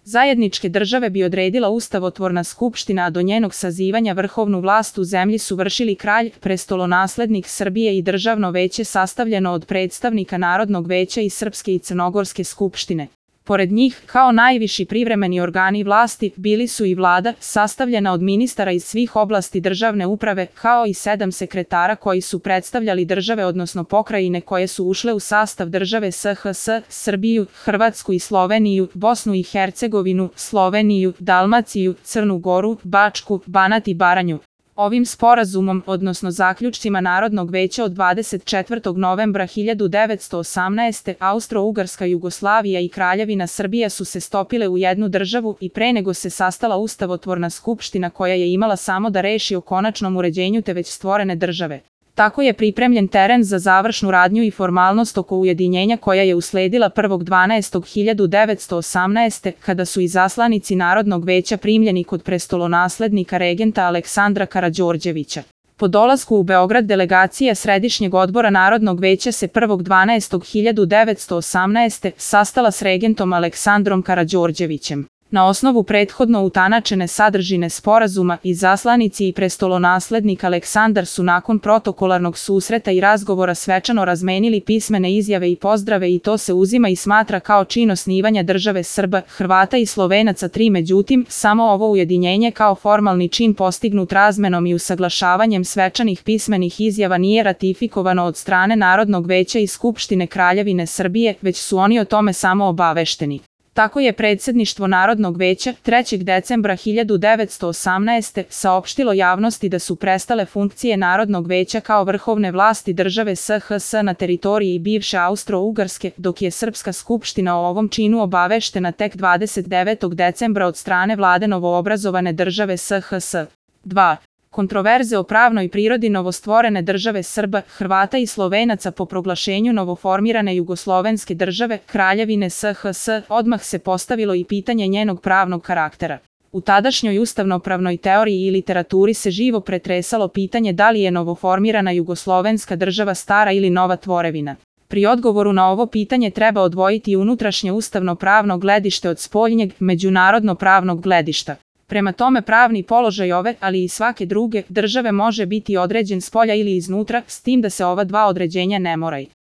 Zajedničke države bi odredila ustavotvorna skupština, a do njenog sazivanja vrhovnu vlast u zemlji su vršili kralj, prestolonaslednik Srbije i državno veće sastavljeno od predstavnika Narodnog veća i Srpske i Crnogorske skupštine. Pored njih, kao najviši privremeni organi vlasti, bili su i vlada, sastavljena od ministara iz svih oblasti državne uprave, kao i 7 sekretara koji su predstavljali države odnosno pokrajine koje su ušle u sastav države SHS, Srbiju, Hrvatsku i Sloveniju, Bosnu i Hercegovinu, Sloveniju, Dalmaciju, Crnu Goru, Bačku, Banat i Baranju. Ovim sporazumom, odnosno zaključcima Narodnog veća od 24. novembra 1918. Austro-Ugarska Jugoslavija i Kraljevina Srbija su se stopile u jednu državu i pre nego se sastala ustavotvorna skupština koja je imala samo da reši o konačnom uređenju te već stvorene države. Tako je pripremljen teren za završnu radnju i formalnost oko ujedinjenja koja je usledila 1.12.1918. kada su izaslanici Narodnog veća primljeni kod prestolonaslednika regenta Aleksandra Karađorđevića. Po dolasku u Beograd delegacija Središnjeg odbora Narodnog veća se 1.12.1918. sastala s regentom Aleksandrom Karađorđevićem. Na osnovu prethodno utanačene sadržine sporazuma, izaslanici i prestolonaslednik Aleksandar su nakon protokolarnog susreta i razgovora svečano razmenili pismene izjave i pozdrave i to se uzima i smatra kao čin osnivanja države Srba, Hrvata i Slovenaca 3. Međutim, samo ovo ujedinjenje kao formalni čin postignut razmenom i usaglašavanjem svečanih pismenih izjava nije ratifikovano od strane Narodnog veća i Skupštine Kraljevine Srbije, već su oni o tome samo obavešteni. Tako je predsjedništvo Narodnog veća 3. decembra 1918. saopštilo javnosti da su prestale funkcije Narodnog veća kao vrhovne vlasti države SHS na teritoriji bivše Austro-Ugarske, dok je Srpska skupština o ovom činu obaveštena tek 29. decembra od strane vlade novoobrazovane države SHS. 2. Kontroverze o pravnoj prirodi novostvorene države Srba, Hrvata i Slovenaca po proglašenju novoformirane jugoslovenske države, Kraljevine SHS, odmah se postavilo i pitanje njenog pravnog karaktera. U tadašnjoj ustavnopravnoj teoriji i literaturi se živo pretresalo pitanje da li je novoformirana jugoslovenska država stara ili nova tvorevina. Pri odgovoru na ovo pitanje treba odvojiti unutrašnje ustavno-pravno gledište od spoljnjeg, međunarodno-pravnog gledišta. Prema tome pravni položaj ove, ali i svake druge, države može biti određen spolja ili iznutra, s tim da se ova dva određenja ne moraju